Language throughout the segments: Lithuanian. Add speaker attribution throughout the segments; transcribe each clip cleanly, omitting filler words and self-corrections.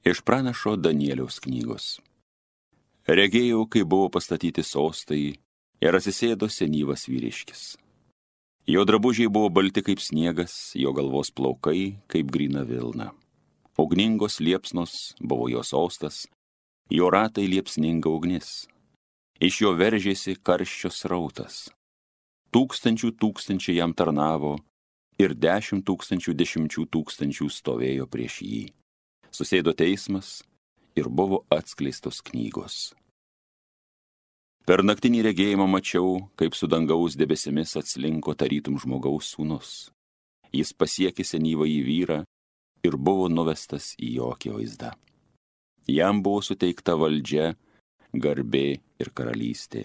Speaker 1: Iš pranašo Danieliaus knygos. Regėjau, kai buvo pastatyti sostai ir atsisėdo senyvas vyriškis. Jo drabužiai buvo balti kaip sniegas, jo galvos plaukai kaip gryna vilna. Ugningos liepsnos buvo jo sostas, jo ratai liepsninga ugnis. Iš jo veržėsi karščio srautas. Tūkstančiai jam tarnavo ir 10 tūkstančių stovėjo prieš jį. Susėdo teismas ir buvo atskleistos knygos. Per naktinį regėjimą mačiau, kaip su dangaus debesimis atslinko tarytum žmogaus sūnus. Jis pasiekė senyvąjį vyrą ir buvo nuvestas į jo akivaizdą. Jam buvo suteikta valdžia, garbė ir karalystė.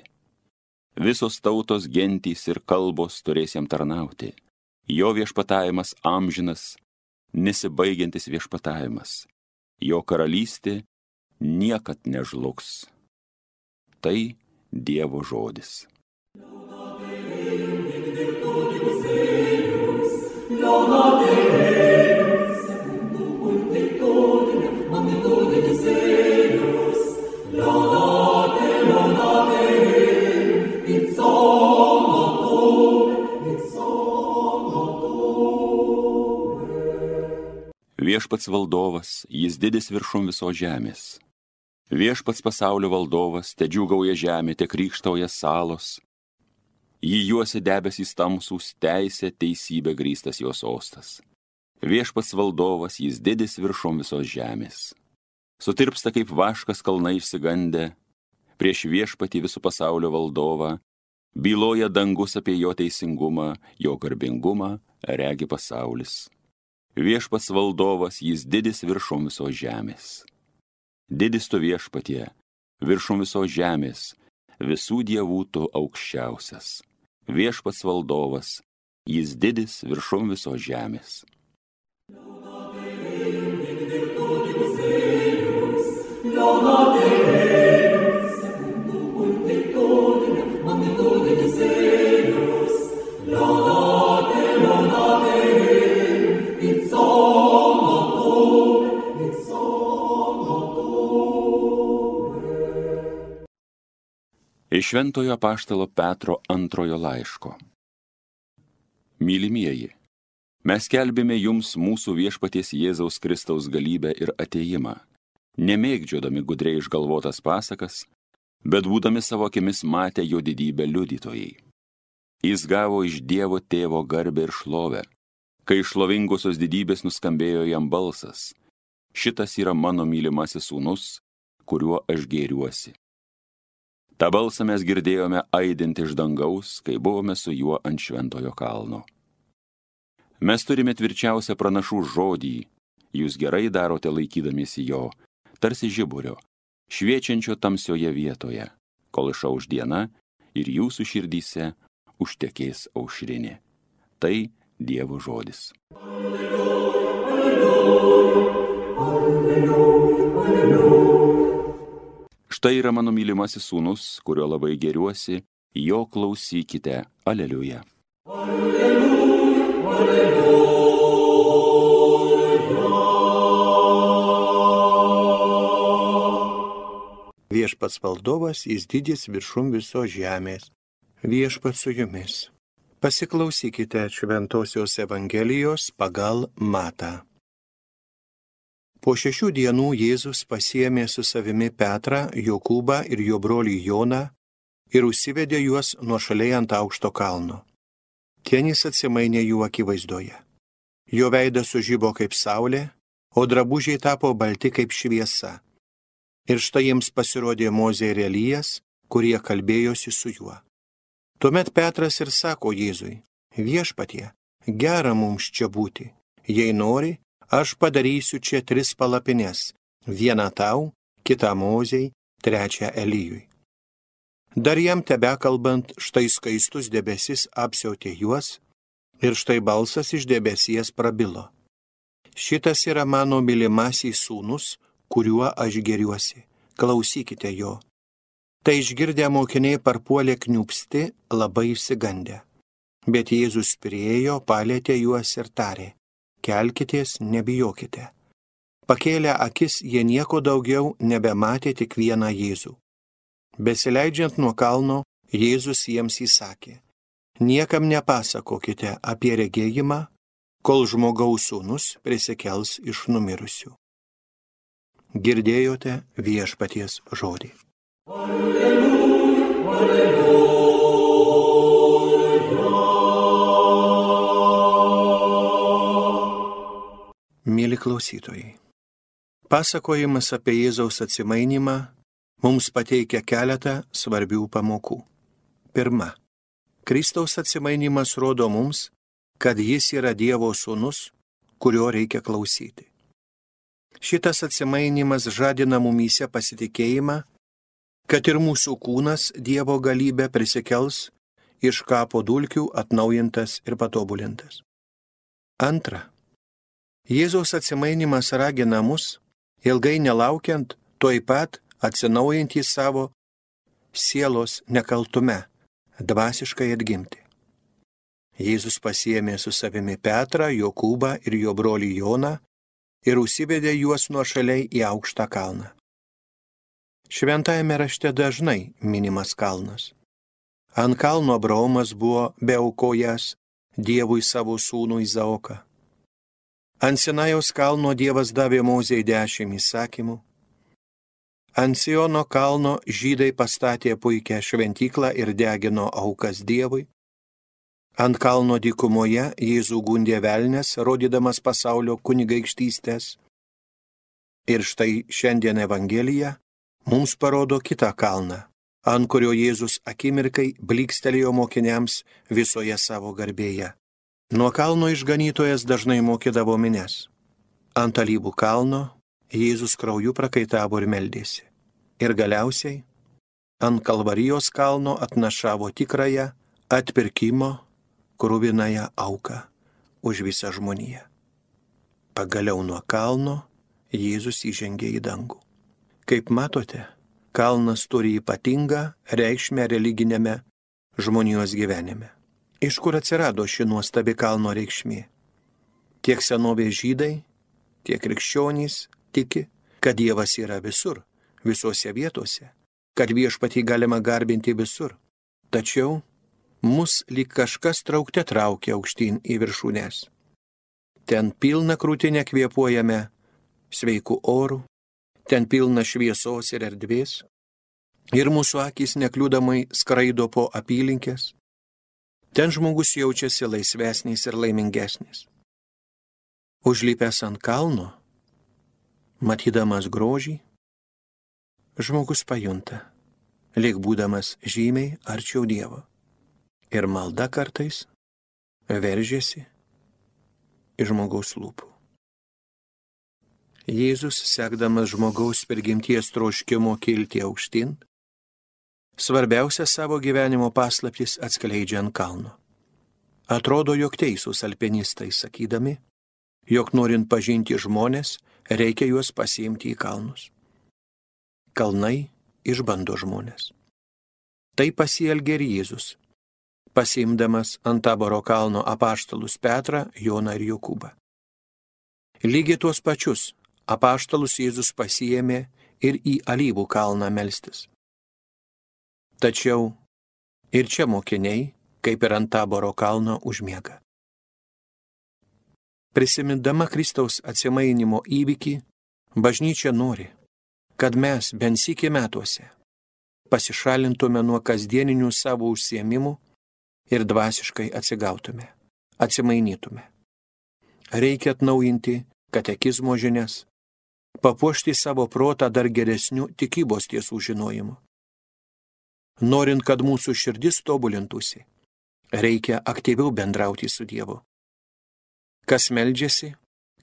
Speaker 1: Visos tautos, gentys ir kalbos turės jam tarnauti. Jo viešpatavimas amžinas, nesibaigiantis viešpatavimas. Jo karalystė niekad nežlugs. Tai Dievo žodis. Viešpats valdovas, jis didis viršum visos žemės. Viešpats pasaulio valdovas, te džiūgauja žemė, te krykštauja salos. Jį juosia debesys tamsūs, teisė, teisybė grįstas jo sostas. Viešpats valdovas, jis didis viršum visos žemės. Sutirpsta kaip vaškas kalnai išsigandę, prieš viešpatį visų pasaulio valdovą, byloja dangus apie jo teisingumą, jo garbingumą regi pasaulis. Viešpats valdovas, jis didis viršum visos žemės. Didis tu viešpatie, viršum visos žemės, visų dievų tu aukščiausias. Viešpats valdovas, jis didis viršum visos žemės. Iš šventojo apaštalo Petro 2 laiško. Mylimieji, mes skelbėme jums mūsų viešpaties Jėzaus Kristaus galybę ir atėjimą, nemėgdžiodami gudriai išgalvotas pasakas, bet būdami savo akimis matę jo didybę liudytojai. Jis gavo iš Dievo tėvo garbę ir šlovę, kai šlovingosios didybės nuskambėjo jam balsas. Šitas yra mano mylimasis sūnus, kuriuo aš gėriuosi. Ta balsą mes girdėjome aidinti iš dangaus, kai buvome su juo ant šventojo kalno. Mes turime tvirčiausią pranašų žodį, jūs gerai darote laikydamiesi jo, tarsi žiburio, šviečiančio tamsioje vietoje, kol išauš diena ir jūsų širdyse užtekės aušrinė. Tai Dievo žodis. Alleluja, alleluja, alleluja, alleluja. Štai yra mano mylimasis sūnus, kurio labai gėriuosi, jo klausykite. Aleliuja. Alleluja, alleluja.
Speaker 2: Viešpats valdovas, jis didis viršum visos žemės. Viešpats su jumis. Pasiklausykite šventosios Evangelijos pagal Matą. Po 6 dienų Jėzus pasiėmė su savimi Petrą, Jokūbą ir jo brolį Joną ir užsivedė juos nuošaliai ant aukšto kalno. Ten jis atsimainė jų akivaizdoje. Jo veidas sužibo kaip saulė, o drabužiai tapo balti kaip šviesa. Ir štai jiems pasirodė Mozė ir Elijas, kurie kalbėjosi su juo. Tuomet Petras ir sako Jėzui: Viešpatie, gera mums čia būti. Jei nori, aš padarysiu čia 3 palapines, vieną tau, kitą Mozei, trečią Elijui. Dar jam tebekalbant, štai skaistus debesis apsiautė juos ir štai balsas iš debesies prabilo: Šitas yra mano mylimasis sūnus, kuriuo aš gėriuosi. Klausykite jo. Tai išgirdę mokiniai parpuolė kniūpsti, labai išsigandę. Bet Jėzus priėjo, palietė juos ir tarė: Kelkitės, nebijokite. Pakėlę akis, jie nieko daugiau nebematė, tik vieną Jėzų. Besileidžiant nuo kalno, Jėzus jiems įsakė: niekam nepasakokite apie regėjimą, kol Žmogaus Sūnus prisikels iš numirusių. Girdėjote Viešpaties žodį. Alleluja, alleluja. Mėly klausytojai, pasakojimas apie Jėzaus atsimainymą mums pateikia keletą svarbių pamokų. Pirma, Kristaus atsimainimas rodo mums, kad jis yra Dievo Sūnus, kurio reikia klausyti. Šitas atsimainimas žadina mumyse pasitikėjimą, kad ir mūsų kūnas Dievo galybę prisikels iš kapo dulkių atnaujintas ir patobulintas. Antra, Jėzaus atsimainimas ragina mus, ilgai nelaukiant, tuoj pat atsinaujinti savo sielos nekaltume, dvasiškai atgimti. Jėzus pasiėmė su savimi Petrą, Jokūbą ir jo brolį Joną ir užsivedė juos nuošaliai į aukštą kalną. Šventajame rašte dažnai minimas kalnas. Ant kalno Abraomas buvo beaukojęs Dievui savo sūnų Izaoką. Ant Sinajaus kalno Dievas davė Mozei 10 įsakymų. Ant Siono kalno žydai pastatė puikią šventyklą ir degino aukas Dievui. Ant kalno dykumoje Jėzų gundė velnias, rodydamas pasaulio kunigaikštystės. Ir štai šiandien Evangelija mums parodo kitą kalną, ant kurio Jėzus akimirkai blykstelėjo mokiniams visoje savo garbėje. Nuo kalno išganytojas dažnai mokydavo minias. Ant Alyvų kalno Jėzus krauju prakaitavo ir meldėsi. Ir galiausiai ant Kalvarijos kalno atnašavo tikrąją atpirkimo kruvinąją auką už visą žmoniją. Pagaliau nuo kalno Jėzus įžengė į dangų. Kaip matote, kalnas turi ypatingą reikšmę religinėme žmonijos gyvenime. Iš kur atsirado ši nuostabi kalno reikšmė? Tiek senovės žydai, tiek krikščionys tiki, kad Dievas yra visur, visose vietose, kad Viešpatį galima garbinti visur. Tačiau mus lyg kažkas traukte traukia aukštyn į viršūnes. Ten pilna krūtinė kvėpuojame sveikų orų, ten pilna šviesos ir erdvės, ir mūsų akys nekliūdamai skraido po apylinkės. Ten žmogus jaučiasi laisvesnis ir laimingesnis. Užlipęs ant kalno, matydamas grožį, žmogus pajunta, lyg būdamas žymiai arčiau Dievo. Ir malda kartais veržiasi iš žmogaus lūpų. Jėzus, sekdamas žmogaus prigimties troškimo kilti aukštyn, svarbiausia savo gyvenimo paslaptis atskleidžia ant kalno. Atrodo, jog teisūs alpinistai sakydami, jog norint pažinti žmonės, reikia juos pasiimti į kalnus. Kalnai išbando žmonės. Tai pasielgė ir Jėzus, pasiimdamas ant Taboro kalno apaštalus Petrą, Joną ir Jokūbą. Lygiai tuos pačius apaštalus Jėzus pasiėmė ir į Alyvų kalną melstis. Tačiau ir čia mokiniai, kaip ir ant Taboro kalno, užmiega. Prisimindama Kristaus atsimainimo įvykį, bažnyčia nori, kad mes bent sykį metuose pasišalintume nuo kasdieninių savo užsiėmimų ir dvasiškai atsigautume, atsimainytume. Reikia atnaujinti katekizmo žinias, papuošti savo protą dar geresnių tikybos tiesų žinojimu. Norint, kad mūsų širdis tobulintųsi, reikia aktyviau bendrauti su Dievu. Kas meldžiasi,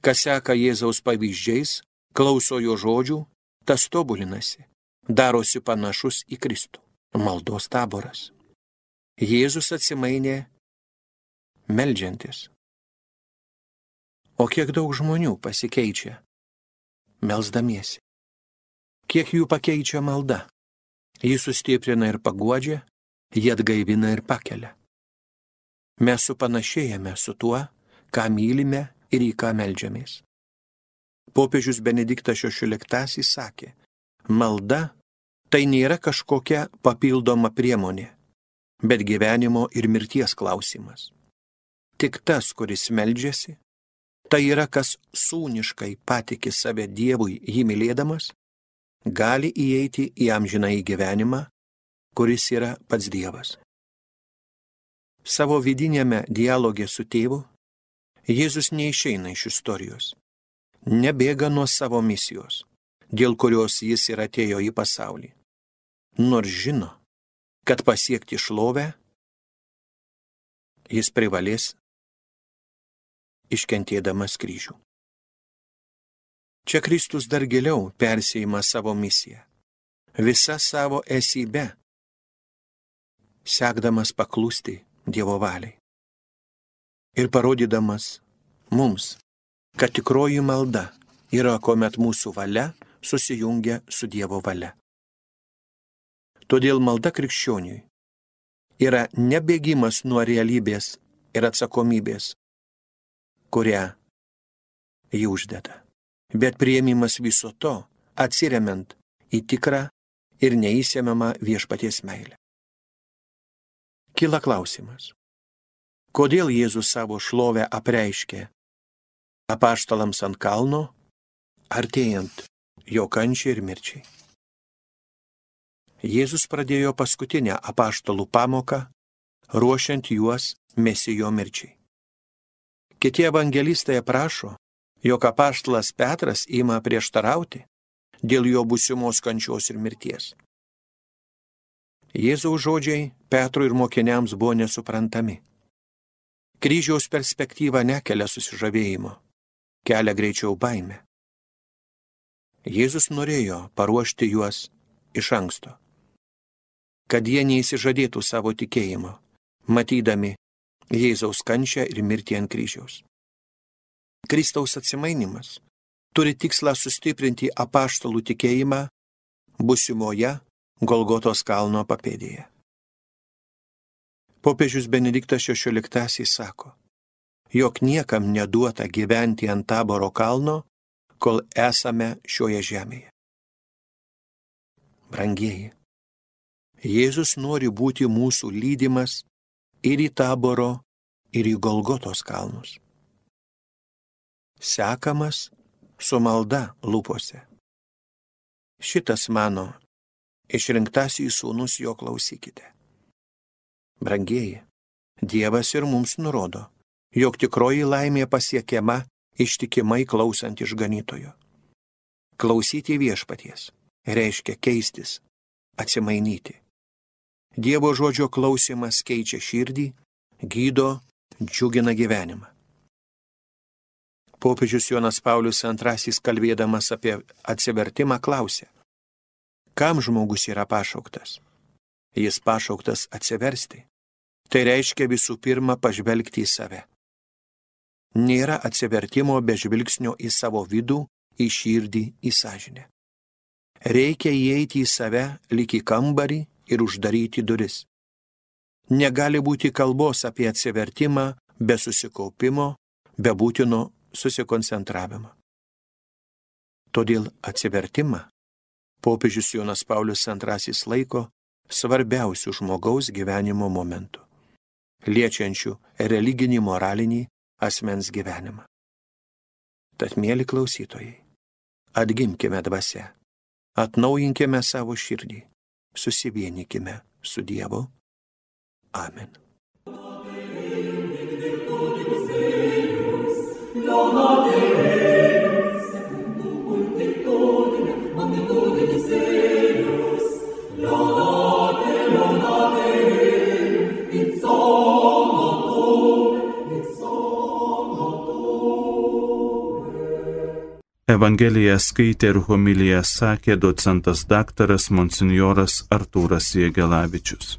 Speaker 2: kas seka Jėzaus pavyzdžiais, klauso jo žodžių, tas tobulinasi, darosi panašus į Kristų. Maldos taboras. Jėzus atsimainė meldžiantis. O kiek daug žmonių pasikeičia melsdamiesi? Kiek jų pakeičia malda? Jį sustiprina ir paguodžia, jį atgaivina ir pakelia. Mes supanašėjame su tuo, ką mylime ir į ką meldžiamės. Popiežius Benediktas XVI sakė, malda tai nėra kažkokia papildoma priemonė, bet gyvenimo ir mirties klausimas. Tik tas, kuris meldžiasi, tai yra kas sūniškai patiki save Dievui jį mylėdamas, gali įeiti į amžinąjį gyvenimą, kuris yra pats Dievas. Savo vidinėme dialogė su tėvu, Jėzus neišeina iš istorijos, nebėga nuo savo misijos, dėl kurios jis ir atėjo į pasaulį, nors žino, kad pasiekti šlovę jis privalės iškentėdamas kryžių. Čia Kristus dar giliau persėjima savo misiją, visa savo esybe, sekdamas paklusti Dievo valiai ir parodydamas mums, kad tikroji malda yra, kuomet mūsų valia susijungia su Dievo valia. Todėl malda krikščioniui yra nebėgimas nuo realybės ir atsakomybės, kurią jį uždeda, bet priėmimas viso to, atsiremiant į tikrą ir neįsemiamą viešpaties meilę. Kyla klausimas, kodėl Jėzus savo šlovę apreiškė apaštalams ant kalno, artėjant jo kančiai ir mirčiai. Jėzus pradėjo paskutinę apaštalų pamoką, ruošiant juos Mesijo mirčiai. Kiti evangelistai aprašo, jog apaštalas Petras ima prieštarauti dėl jo būsimos kančios ir mirties. Jėzaus žodžiai Petrui ir mokiniams buvo nesuprantami. Kryžiaus perspektyva nekelia susižavėjimo, kelia greičiau baimę. Jėzus norėjo paruošti juos iš anksto, kad jie neįsižadėtų savo tikėjimo, matydami Jėzaus kančią ir mirtį ant kryžiaus. Kristaus atsimainimas turi tikslą sustiprinti apaštalų tikėjimą būsimoje Golgotos kalno papėdėje. Popiežius Benediktas XVI sako, jog niekam neduota gyventi ant Taboro kalno, kol esame šioje žemėje. Brangieji, Jėzus nori būti mūsų lydimas ir į Taboro, ir į Golgotos kalnus. Sekamas su malda lūpose. Šitas mano išrinktasis sūnus, jo klausykite. Brangieji, Dievas ir mums nurodo, jog tikroji laimė pasiekiama ištikimai klausant išganytojo. Klausyti viešpaties reiškia keistis, atsimainyti. Dievo žodžio klausimas keičia širdį, gydo, džiugina gyvenimą. Popiežius Jonas Paulius II kalbėdamas apie atsivertimą klausė, kam žmogus yra pašauktas? Jis pašauktas atsiversti. Tai reiškia visų pirma pažvelgti į save. Nėra atsivertimo be žvilgsnio į savo vidų, į širdį, į sąžinę. Reikia įeiti į save lyg į kambarį ir uždaryti duris. Negali būti kalbos apie atsivertimą be susikaupimo, be būtino susikoncentravimo. Todėl atsivertimą popiežius Jonas Paulius II laiko svarbiausių žmogaus gyvenimo momentų, liečiančių religinį, moralinį asmens gyvenimą. Tad, mieli klausytojai, atgimkime dvasia, atnaujinkime savo širdį, susivienykime su Dievu. Amen.
Speaker 3: Evangeliją skaitė ir homiliją sakė docentas daktaras monsinjoras Artūras Jėgelavičius.